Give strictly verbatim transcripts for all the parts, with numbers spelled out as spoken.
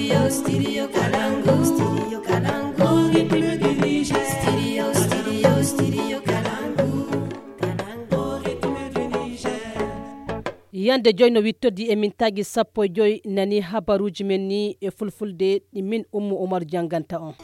Studio, studio Kalangu, studio Kalangu, rythme du Niger. Studio, studio, studio Kalangu, Kalangu, rythme du Niger. Yande joyno wittodi e min tagi sappo e joy nani habaruji men ni e fulfulde ɗi min Ummu Umar janganta on.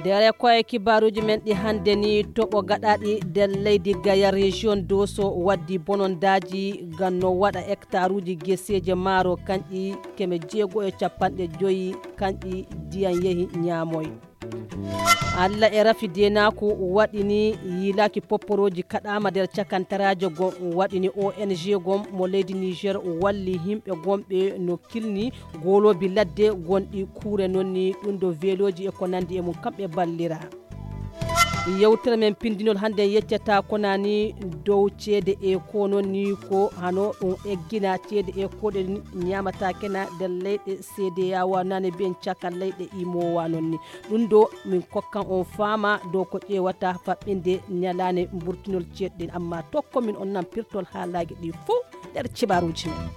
Dere ko e kibaruji men ɗi hande ni toɓo gaɗaɗi der leydi Gaya région Doso waddi bonondaji ganno waɗa hectare uji geseje maaro kanƴi keme jeego e capanɗe joyi kanƴi diyan yehi ñaamoy. Allah e rafi denaku waɗini yilaki popporoji kaɗama nder cakantarajo gon waɗini O N G gon mo leydi Niger walli himɓe gonɓe no kilni golobi ladde gonɗi kuure nonni ɗum do veloji e ko nandi e mum kamɓe ballira. Yewtere men pindinol hande yeccata konani dow ceede e ko nonni ko hano ɗum eggina ceede e ko ɗe nyamata kena der leyɗe C D A O nane ben caka leyɗe imowa nonni ɗum do min kokkan on fama dow ko ƴewata faɓɓinde nyalane burtinol ceeɗɗen amma tokko min on nan pirtol haalaji ɗi fou nder cibaruji men.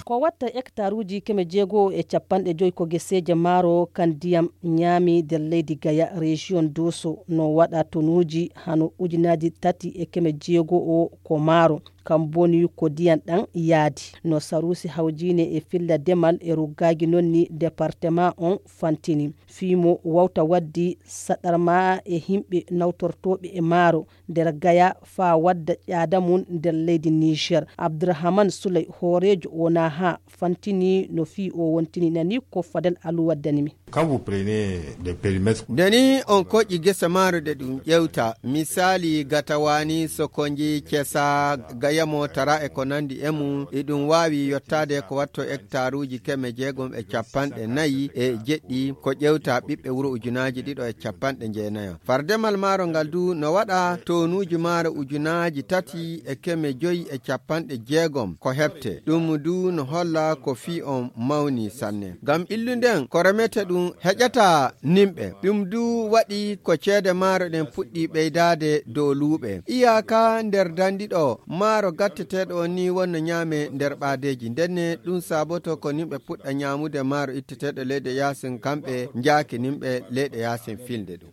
Ko watta hectare uji keme jeego e capanɗe joyi ko geseje maaro kan diyam ñaami der leydi Gaya région Doso no waɗa tonuji hano ujunaji tati e keme jeego o ko maaro kam boni ko diyan ɗan yaadi no sarusi hawjine e filla demal e ruggagi nonni département on fantini fimo wawta waddi saɗarma e himɓe nawtortoɓe e maaro nder Gaya fa wadda ƴaada mum nder leydi Niger. Abdourahmane Souley hoorejo wona ha fantini no fi o wontini nani ko Fadel Alou waddanimi. Quand vous prenez des périmètres deni on koƴƴi gesa maaro de ɗum ƴewta misali gatawani sokonji kesa gayamo tara e ko nandi e mum e ɗum wawi yottade ko watto hectare uji keme jeegom e capanɗe nayyi e jeɗɗi ko ƴewta ɓiɓɓe wuro ujunaji ɗiɗo e capanɗe jeenayo. Fardemal maaro ngal du no waɗa tonuji maaro ujunaji tati e keme joyi e capanɗe jeegom ko heɓte ɗum du no holla ko fi on mawni sanne ngam illunden ko remete ɗum heƴata nimɓe ɗum du waɗi ko ceede maaro ɗen puɗɗi ɓeydade dow luuɓe iyaka nder dandiɗo maaro gatteteɗo ni wonno ñaame nder ɓaadeji ndenne ɗum saboto ko nimɓe puɗɗa ñaamude maaro itteteɗo leyɗe yasin kamɓe jaaki nimɓe leyɗe yasin filde ɗum.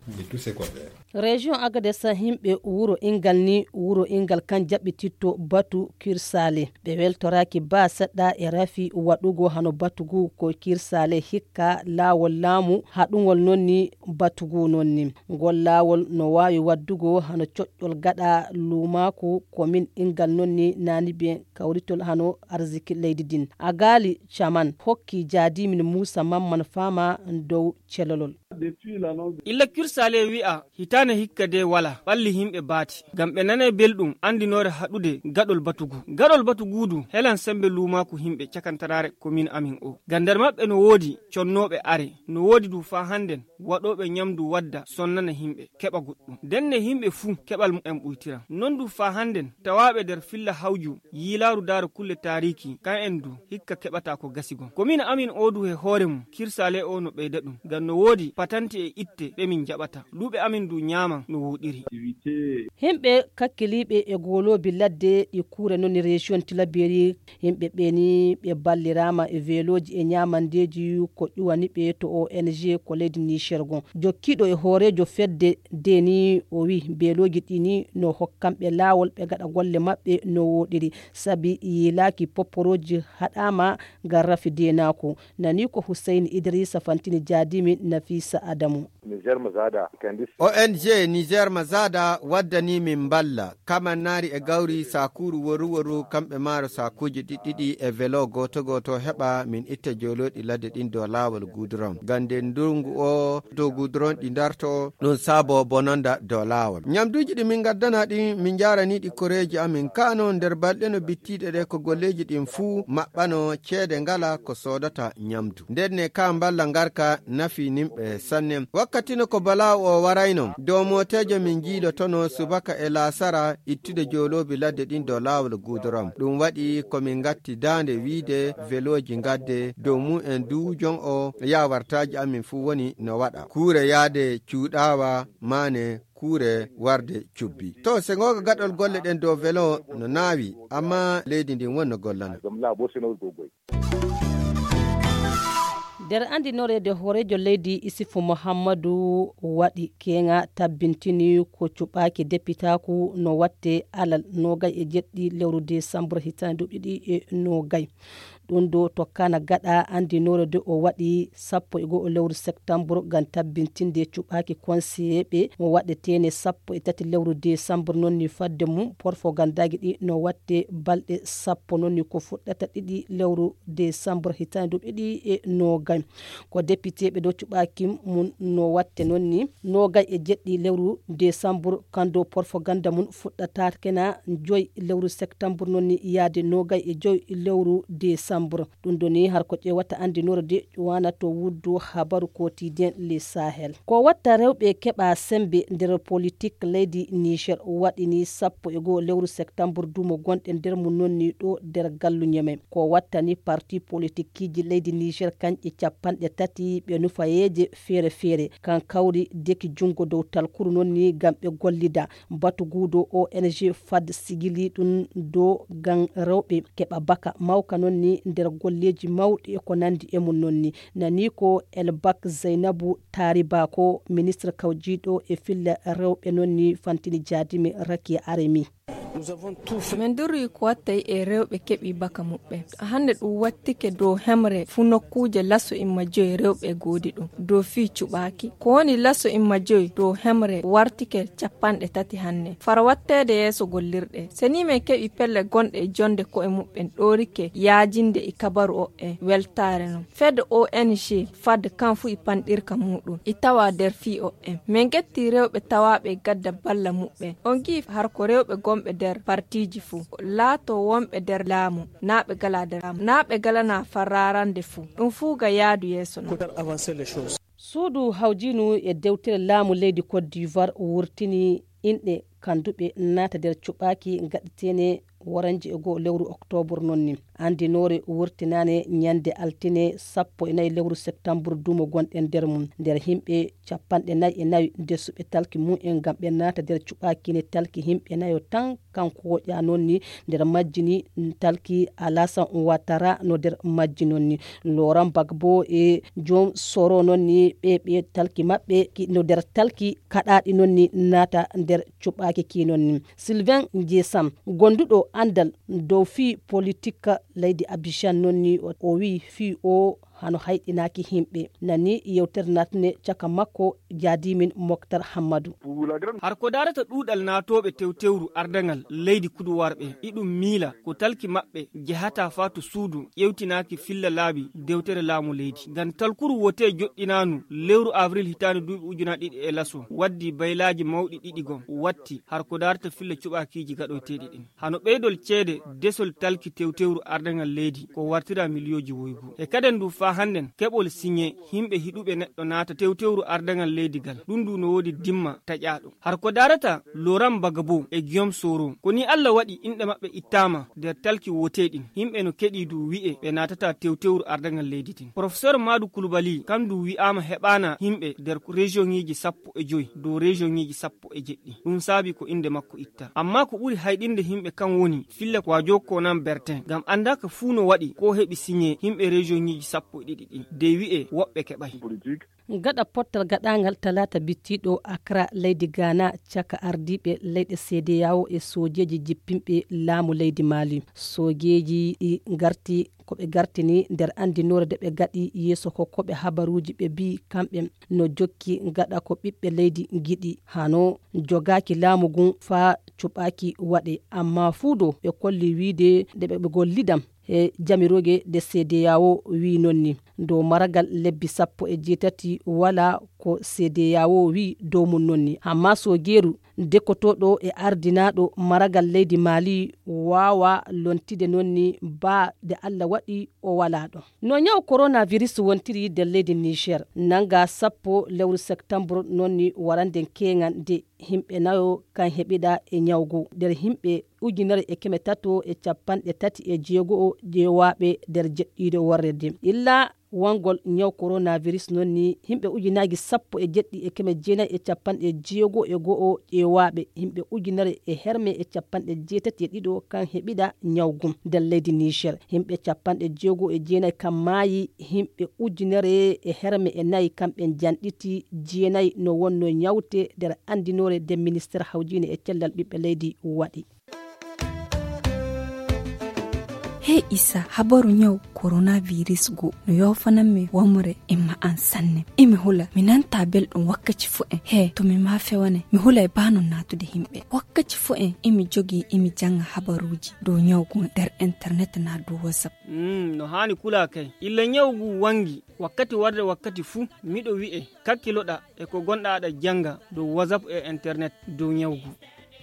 Région Agadez himɓe wuro ingal ni wuro ingal kan jaɓɓititto batu kirsale ɓe weltoraki ba seɗɗa e rafi waɗugo hano batugu ko kirsale hikka laawol laamu haɗugol nonni batugu nonni ngol laawol no wawi waddugo hano coƴƴol gaɗa lumaku komin ingal nonni nani ɓe kawritol hano arziki leydi din agali caman hokki jadimin Moussa Mamman fama dow celolol. illa kirsale wi'a hitane hikka de wala balli himɓe baati ngam ɓe nane belɗum andinore haɗude gaɗol batugu gaɗol batugudu helan sembe lumaku himɓe cakantarare komin amin o gandar maɓɓe no woodi connoɓe are no woodi du fa handen waɗoɓe nyamdu wadda sonnana himɓe keɓa goɗɗum denne himɓe fuu keɓal mumen ɓuytira non du fa handen tawaɓe nder filla hawju yilaru daro kulle tariki kan en du hikka keɓata ko gasigon komin amin o du he hoore mum kirsale o no ɓeyda ɗum ngam no woodi patanti e itte ɓe min jaɓata luuɓe amin du ñaama no wuɗiri. Himɓe kakkiliɓe e golobi ladde ɗi kuure noni région Tilaberi himɓe ɓeni ɓe ballirama e veloji e ñamandeji ko ƴuwani ɓe to O N G ko leydi Niger gon jokkiɗo e hoorejo fedde deni o wi beloji ɗini no hokkamɓe laawol ɓe gaɗa golle maɓɓe no woɗiri sabi yilaki popporoji haɗama ngam rafi denako nani ko Hussein Idrissa Fantini jadimi Nafisa Adamu. O N G Niger Mazada waddani min balla kaman nari e gawri sakuru woru woru kamɓe maaro sakuji ɗiɗɗiɗi e velo goto goto heɓa min itta joloɗi ladde ɗin dow lawol gudron gande ndungu o dow gudron ɗi darto ɗum sabo bononda dow lawol nyamduji ɗi min gaddana ɗi min jaraniɗi koreji amin kano nder balɗe no bittiɗe ɗe ko golleji ɗin fuu maɓɓano ceede ngala ko sodata nyamdu ndenne ka balla ngarka nafi nimɓe sanne. Wakkatino ko bala o warayno dow motejo min jiilotono subaka e lasara ittude jolobi ladde ɗin dow lawol gudoram. Ɗum waɗi komin gatti dande wiide veloji gadde dow mu en du jon o yawartaji amin fu woni no waɗa kuure yaade cuuɗawa mane kuure warde cubbi. To se ngoga gaɗol golle ɗen dow velo no naawi amma leydi ndin wonno gollana. nder andinorede horejo leydi Isufu Muhammadu waɗi kenga tabbintini ko cuɓaki depitaku no watte alal nogay e jeɗɗi lewru décembre hitande duɓiɗi e nogay ɗum do tokkana gaɗa andinore de o waɗi sappo e go'o lewru septembre gam tabbintinde cuɓaki conseillé mo waɗetene sappo e tati lewru décembre nonni fadde mum porfogandagi ɗi no watte balɗe sappo nonni ko fuɗɗata ɗiɗi lewru décembre hitande duɓiɗi e nogay ko député ɓe do cuɓaki mum no watte nonni nogay e jeɗɗi lewru décembre kando porfoganda mum fuɗɗata kena joyi lewru septembre nonni yaade nogay e joyi lewru décembre ɗum doni har ko ƴewata andinore de wana to wuddu habaru quotidien les Sahel ko watta rewɓe keɓa sembe nder politique leydi Niger waɗini sappo e goho lewru septembre dumo gonɗe nder mum nonni ɗo nder gallu ñeme ko wattani parti politique ji leydi Niger kanƴe capanɗe tati ɓe nufayeje feere feere kan kawri deki jungo dow talkuru nonni gam ɓe gollida batugudo O N G fad sigili ɗum do gan rewɓe keɓa baka mawka nonni nder golleji mawɗi e ko nandi e mum nonni nani ko Elbak Zainabu Tariba ko ministre kawjiɗo e filla rewɓe nonni fantini jadimi Rakia Aremi. min durri ko wattay e rewɓe keɓi baka muɓɓe hande ɗum wattike dow hemre fu nokkuje lasso imma joyi rewɓe goodi ɗum dow fi cuɓaki ko woni lasso imma joyi dow hemre wartike capanɗe tati hande fara wattede yeeso gollirɗe seni min keɓi pelle gonɗe e jonde ko e muɓɓen ɗorike yaajinde e kabaru o e weltare non fedde O N G fadde kan fu i panɗirka muɗum i tawa nder fi o en min getti rewɓe tawaɓe gadda balla muɓɓe on gi har ko rewɓe gomɓe nder partiji fu laato wonɓe nder laamu naɓe gala nder laamu naɓe galana fararande fu ɗum fu ga yaadu yeeso non suudu hawjinu e dewtere laamu leydi Côte d'Ivoire wurtini inɗe kanduɓe naata nder cuɓaki gaɗetene waranji e goho lewru octobre nonni andinore wurtinane ñande altine sappo e nayi lewru septembre dumo gonɗen nder mum nder himɓe capanɗe nayi e nayi desuɓe talki mum en gam ɓe naata nder cuɓakine talki himɓe nayo tan kanko ƴa nonni nder majjini talki Alassane Ouattara no nder majji nonni Laurent Gbagbo e joom soro nonni ɓe ɓe talki maɓɓe no nder talki kaɗaɗi nonni naata nder cuɓaki ki nonni Sylvain Ndiessam gonduɗo andal dow fi politique leydi Abidjan nonni o wi fi o hano hayɗinaki himɓe nani yewtere natne caka makko jadimin Moktar Hammadou har ko darata ɗuɗal natoɓe tewtewru ardangal leydi kudu warɓe iɗum miila ko talki maɓɓe jehata fatu suudu ƴewtinaki filla laabi dewtere laamu leydi ngam talkuru wote joɗɗinanu lewru avril hitande duuɓi ujuna ɗiɗi e laso waddi baylaji mawɗi ɗiɗi gon watti har ko darata filla cuɓakiji gaɗoteɗi ɗin hano ɓeydol ceede desol talki tewtewru ardangal leydi ko wartira milliyoji woygu e kaden du fa handen keɓol signé himɓe hiɗuɓe neɗɗo naata tewtewru ardangal leydi gal ɗum du no wodi dimma taƴaɗo har ko darata Laurent Gbagbo e Guillaume Soro koni Allah waɗi inɗe maɓɓe ittama nder talki woteɗin himɓe no keɗi du wi'e ɓe natata tewtewru ardangal leydi tin professeur Madou Coulibaly kam du wi'ama heɓana himɓe nder région ngiji sappo e joyi dow région ngiji sappo e jeɗɗi ɗum saabi ko inde makko itta amma ko ɓuri hayɗinde himɓe kan woni fille ko wajo Konan Bertin gam andaka fuu no waɗi ko heɓi signé himɓe région ngiji sappo e ɗiɗi ɗi de wi'e woɓɓe keɓay gaɗa pottal gaɗagal talata bittiɗo Accra leydi Ghana caka ardiɓe leyɗe C D A O e sojeji jippinɓe laamu leydi Mali sojeji ɗi garti koɓe gartini nder andinore de ɓe gaɗi yeeso ko koɓe habaruji ɓe bi kamɓe no jokki gaɗa ko ɓiɓɓe leydi giɗi hano jogaki laamu gun fa cuɓaki waɗe amma fuudo ɓe kolli wiide nde ɓe gollidam e jamiroge de C D A O wi nonni dow maragal lebbi sappo e jeetati wala ko C D A O wi dow mum nonni. Amma so geeru dekotoɗo e ardinaɗo maragal leydi Mali wawa lontide nonni ba de Allah waɗi o wala ɗon. No nyaw coronavirus wontiri der leydi Niger nanga sappo lewru septembre nonni waranden kengan de himɓe nayo kan heɓida e nyawgu der himɓe ujunere e keme tato e capanɗe tati e jeego jeewaɓe der jeɗɗiɗo warrede illa wangol nyaw coronavirus nonni himɓe ujunaji sappo e jeɗɗi e keme jeenayi e capanɗe jeego e go'o ƴeewaɓe himɓe ujunere e herme e capanɗe jeetati e ɗiɗo kan heɓida nyawgu nder leydi Niger himɓe capanɗe jeego e jeenayi kan maayi himɓe ujunere e herme e nayi kamɓe janɗiti jeenayi no wonno nyawte nder andinore de ministére hawjine e cellal ɓiɓɓe leydi waɗi. Hey Isa, habaru nyaw coronavirus go no yofananmi wamre imma an sanne imi hula minanta belɗum wakkati fu en he to mi ma fewane mi hula e bano natude himɓe wakkati fu en imi jogi imi janga habaruji dow nyawgu nder internet na dow WhatsApp. Mm, no hani kula kay illa nyawgu wangi wakkati warde wakkati fu miɗo wi'e kakkiloɗa e ko gonɗa aɗa janga dow WhatsApp e internet dow nyawgu.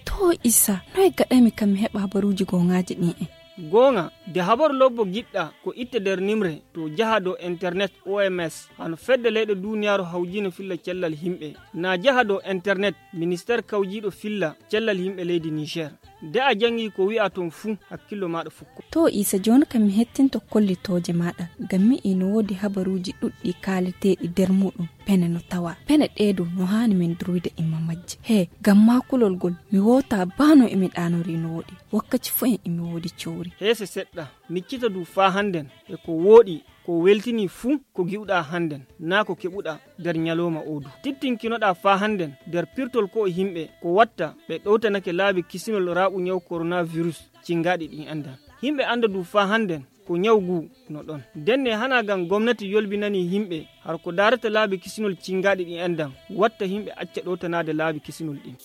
To Isa, noy gaɗami kam mi heɓa habaruji gongaji ɗin en. gonga de habaru lobbo giɗɗa ko itte nder nimre to jaha dow internet O M S hano fedde leyɗe duniyaru hawjino filla cellal himɓe na jaha dow internet ministére kawjiɗo filla cellal himɓe leydi Niger de a jangi ko wi'a ton fuu hakkillo maɗa fukko. To Isa joni kam mi hettinto kollitoje maɗa ngam mi ino wodi habaruji ɗuɗɗi kaleteɗi nder muɗum pene no tawa pene ɗeɗo no hani min duruyde imma majje he ngam makulol gol mi wota bano emi ɗanori no woɗi wakkati fu en emi wodi cowri hese seɗɗa miccita du fa handen e ko woɗi ko weltini fuu ko giwɗa handen na ko keɓuɗa nder nyaloma odu tittinkinoɗa fa handen nder pirtol ko himɓe ko watta ɓe ɗowtanake laabi kisinol raɓu nyaw coronavirus cingaɗi ɗin andan himɓe anda du fa handen ko nyawgu no ɗon denne hana gam gomnati yolbinani himɓe har ko darata laabi kisinol cingaɗi ɗin andan watta himɓe acca ɗowtanade laabi kisinol ɗin.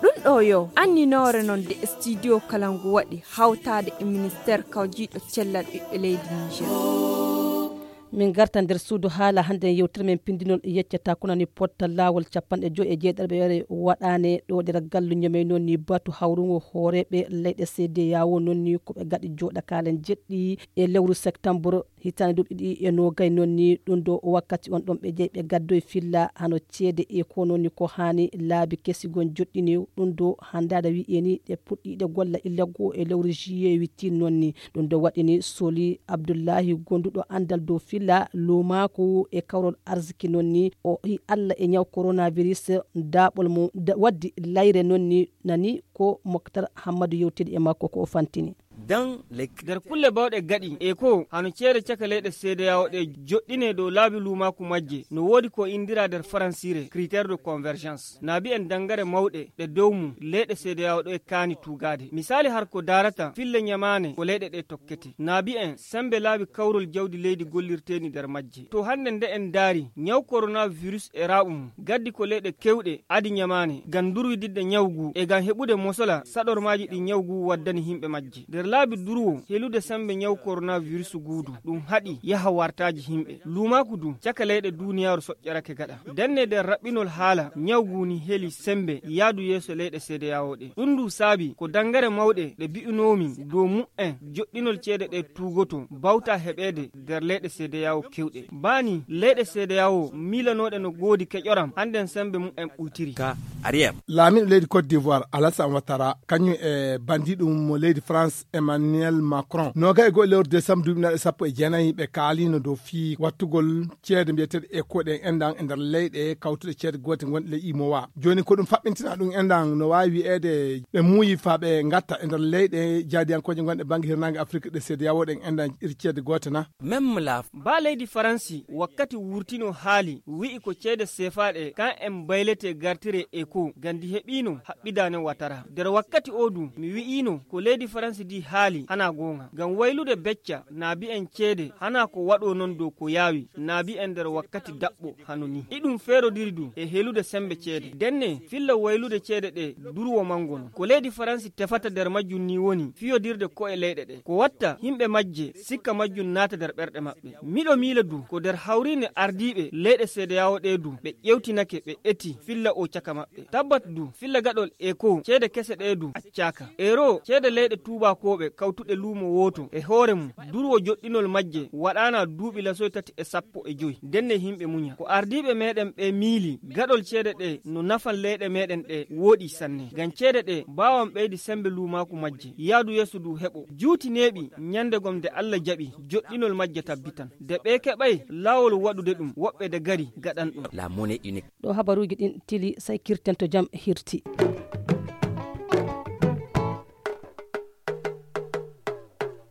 ɗum ɗo yo anninore non de studio kalangu waɗi hawtade e ministére kawjiɗo cellal ɓiɓɓe leydi Niger. min garta nder suudu haala hande yewtere men pindinol yeccata konani potta lawol capanɗe joyi e jeeɗiɗi ɓe waɗane ɗo nder galluño men noon ni batu hawrugo hooreɓe leyɗe C D A O noon ni koɓe gaɗi joɗa kalen jeɗɗi e lewru septembre hitande duuɓi ɗiɗi e nogay noon ni ɗum ɗo wakkati on ɗon ɓe jeeyi ɓe gaddoye filla hano ceede e ko noon ni ko hani laabi kesigon joɗɗini ɗum ɗo handada wi eni ɗe puɗɗiɗe golla illa goo e lewru juillet witti noon ni ɗum ɗo waɗini Soli Abdoullahi gonduɗo andal dow filla lumako e kawrol arziki noon ni o hi Allah e nyaw coronavirus daɓol mum waddi layre noon ni nani ko Moktar Hammadou yewtidi e makko ko o fantini. nder kulle bawɗe gaɗi e ko hano ceere caka leyɗe C D A O ɗe joɗɗine dow laabi lumaku majje no woodi ko indira nder faransire critére de convergence naabi en dangare mawɗe ɗe dow mum leyɗe C D A O ɗo e kaani tugade misali har ko darata fille nyamane ko leyɗe ɗe tokkete naabi en sembe laabi kawrol jawdi leydi gollirteni nder majje to hande nde en daari nyaw coronavirus e raɓu mum gaddi ko leyɗe kewɗe adi nyamane gam durwididde nyawgu e gam heɓude mosola saɗormaji ɗi nyawgu waddani himɓe majje nder laabi durwo helude sembe nyaw coronavirus guudu ɗum haɗi yaha wartaji himɓe lumaku du caka leyɗe duniyaru soƴƴarake gaɗa denne nder raɓɓinol haala nyawgu ni heli sembe yaadu yeeso leyɗe C D A O ɗe ɗum du saabi ko dangare mawɗe ɗe bi'unomi dow mu'en joɗɗinol ceede ɗe tugoto bawta heɓede nder leyɗe C D A O kewɗe bani leyɗe C D A O milanoɗe no goodi keƴoram handen sembe mu'en ɓuytiri ka ariyam laamiɗo leydi Côte d'Ivoire Alassane Ouattara kañum e bandiɗum mo leydi France Emmanuel Macron noga e goho lewru décembre duuɓi naɗe sappo e jeenayi ɓe kaalino dow fii wattugol ceede mbiyeteɗe éco ɗen endan e nder leyɗe kawtuɗe ceede gote gonɗe ley imowa joni ko ɗum faɓɓintina ɗum endan no wawi wi'ede ɓe muuyi fa ɓe gatta e nder leyɗe jaadiyankoje gonɗe banggue hirnangue Afrique ɗe C D A O ɗen endan iri ceede gote na même la ba leydi faransi wakkati wurtino haali wi'i ko ceede sefaɗe kan en baylete gartire éco gandi heɓino haɓɓidane Ouattara nder wakkati o du mi wi'ino ko leydi faransi di haali hana gonga ngam waylude becca naabi en ceede hana ko waɗo non dow ko yaawi naabi en nder wakkati daɓɓo hanoni iɗum feerodiri du e helude sembe ceede denne filla waylude ceede ɗe durwo mangono ko leydi faransi tefata nder majjum ni woni fiyodirde ko e leyɗe ɗe ko watta himɓe majje sikka majjum naata nder ɓerɗe maɓɓe miɗo miila du ko nder hawrine ardiɓe leyɗe seedeyawo ɗe du ɓe ƴewtinake ɓe eti filla o caka maɓɓe tabbat du filla gaɗol eko ceede kese ɗe du accaka ero ceede leyɗe tubakoɓe kawtuɗe luumo woto e hoore mum durwo joɗɗinol majje waɗana duuɓi lasoy tati e sappo e joyi denne himɓe muña ko ardiɓe meɗen ɓe miili gaɗol ceede ɗe no nafan leyɗe meɗen ɗe woɗi sanne ngam ceede ɗe mbawan ɓeydi sembe luumaku majje yaadu yeeso du heɓo juuti neeɓi nyandegom nde Allah jaɓi joɗɗinol majje tabbitan de ɓe keɓay lawol waɗude ɗum woɓɓe de gari gaɗan ɗum ɗo habaruji ɗin tili say kirten to jam hirti.